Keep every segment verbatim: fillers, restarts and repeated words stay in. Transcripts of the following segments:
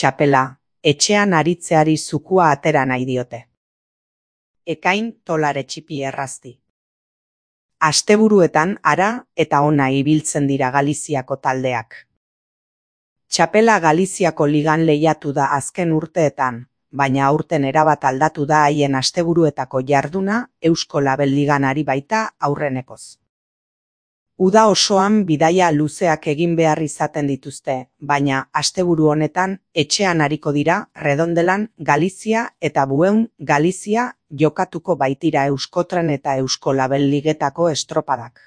Txapela, etxean aritzeari zukua atera nahi diote. Ekain tolare txipi errazti. Asteburuetan ara eta ona ibiltzen dira Galiziako taldeak. Txapela Galiziako ligan lehiatu da azken urteetan, baina aurten erabat aldatu da haien asteburuetako jarduna Eusko Label Ligan ari baita aurrenekoz. Uda osoan bidaia luzeak egin behar izaten dituzte, baina asteburu honetan etxean ariko dira Redondelan Galizia eta Bueun Galizia jokatuko baitira Euskotren eta Eusko Label Ligetako estropadak.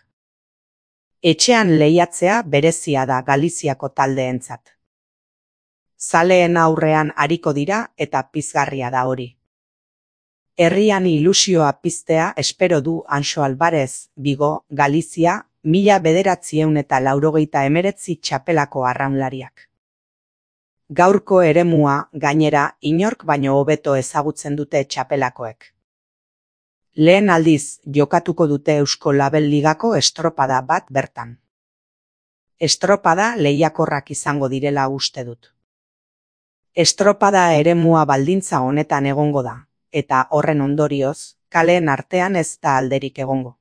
Etxean lehiatzea berezia da Galiziako taldeentzat. Zaleen aurrean ariko dira eta pizgarria da hori. Herrian ilusioa piztea espero du Anxo Alvarez, Vigo, Galizia, mila bederatzieun eta laurogeita emeretzi txapelako arraunlariak. Gaurko eremua, gainera, inork baino hobeto ezagutzen dute txapelakoek. Lehen aldiz jokatuko dute Eusko Label Ligako estropada bat bertan. Estropada lehiakorrak izango direla uste dut. Estropada eremua baldintza honetan egongo da, eta horren ondorioz, kaleen artean ez da alderik egongo.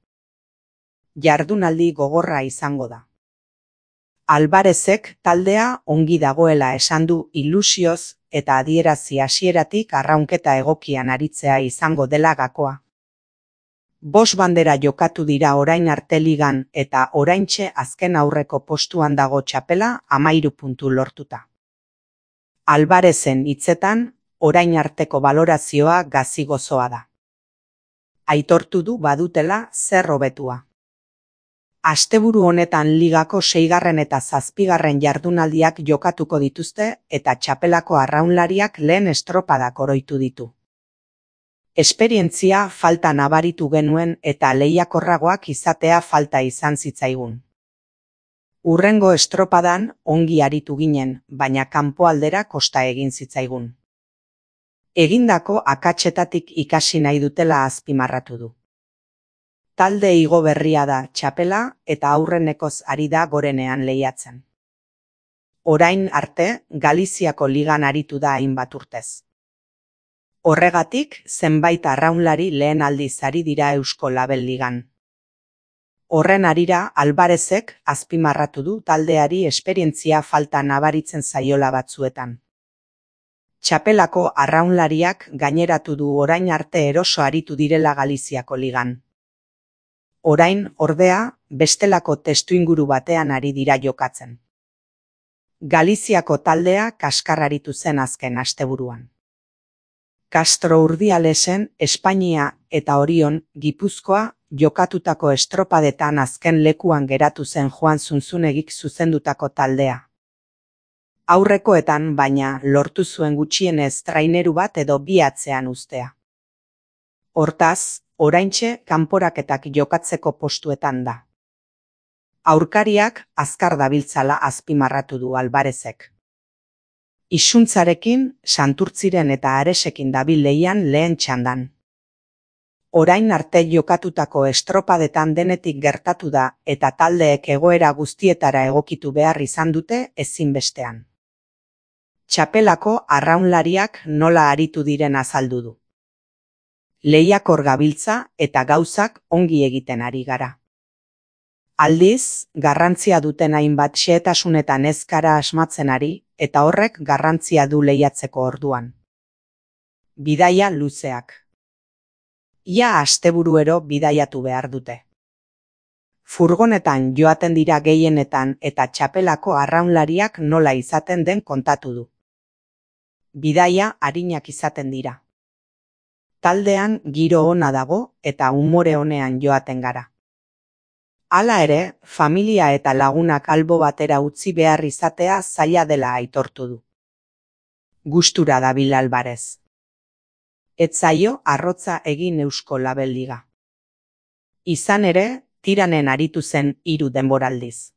Jardunaldi gogorra izango da. Alvarezek taldea ongi dagoela esan du ilusioz eta adierazi hasieratik arraunketa egokian aritzea izango dela gakoa. Bost bandera jokatu dira orain arte ligan eta oraintxe azken aurreko postuan dago txapela hamairu puntu lortuta. Alvarezen hitzetan, orain arteko balorazioa gazi gozoa da. Aitortu du badutela zer hobetua. Asteburu honetan ligako seigarren eta zazpigarren jardunaldiak jokatuko dituzte eta txapelako arraunlariak lehen estropadak oroitu ditu. Esperientzia falta nabaritu genuen eta lehiakorragoak izatea falta izan zitzaigun. Urrengo estropadan ongi aritu ginen, baina kanpoaldera kosta egin zitzaigun. Egindako akatsetatik ikasi nahi dutela azpimarratu du. Talde igo berria da txapela eta aurrenekoz ari da gorenean lehiatzen. Orain arte, Galiziako ligan aritu da hainbat urtez. Horregatik, zenbait arraunlari lehen aldiz ari dira Eusko Label Ligan. Horren arira, Alvarezek azpimarratu du taldeari esperientzia falta nabaritzen zaiola batzuetan. Txapelako arraunlariak gaineratu du orain arte eroso aritu direla Galiziako ligan. Orain, ordea, bestelako testuinguru batean ari dira jokatzen. Galiziako taldea kaskarraritu zen azken asteburuan. Castro Urdialesen, Espainia eta Orion, Gipuzkoa, jokatutako estropadetan azken lekuan geratu zen Joan Zunzunegik zuzendutako taldea. Aurrekoetan baina lortu zuen gutxienez traineru bat edo bi atzean uztea. Hortaz, oraintxe kanporaketak jokatzeko postuetan da. Aurkariak azkar dabiltzala azpimarratu du Alvarezek. Isuntzarekin, Santurtziren eta Aresekin dabil lehian lehen txandan. Orain arte jokatutako estropadetan denetik gertatu da eta taldeek egoera guztietara egokitu behar izan dute ezinbestean. Txapelako arraunlariak nola aritu diren azaldu du. Lehiakor gabiltza eta gauzak ongi egiten ari gara. Aldiz, garrantzia duten hainbat xehetasunetan ez gara asmatzen ari eta horrek garrantzia du lehiatzeko orduan. Bidaia luzeak. Ia asteburuero bidaiatu behar dute. Furgonetan joaten dira gehienetan eta txapelako arraunlariak nola izaten den kontatu du. Bidaia arinak izaten dira. Taldean giro ona dago eta umore onean joaten gara. Hala ere, familia eta lagunak albo batera utzi behar izatea zaila dela aitortu du. Gustura dabil Alvarez. Ez zaio arrotza egin Eusko Label Liga. Izan ere, tiranen aritu zen hiru denboraldiz.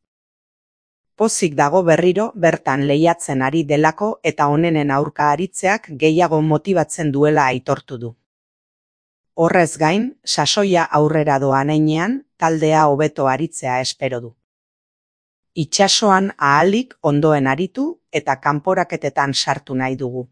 Pozik dago berriro bertan lehiatzen ari delako eta onenen aurka aritzeak gehiago motibatzen duela aitortu du. Horrez gain, sasoia aurrera doan heinean, taldea hobeto aritzea espero du. Itsasoan ahalik ondoen aritu eta kanporaketetan sartu nahi dugu.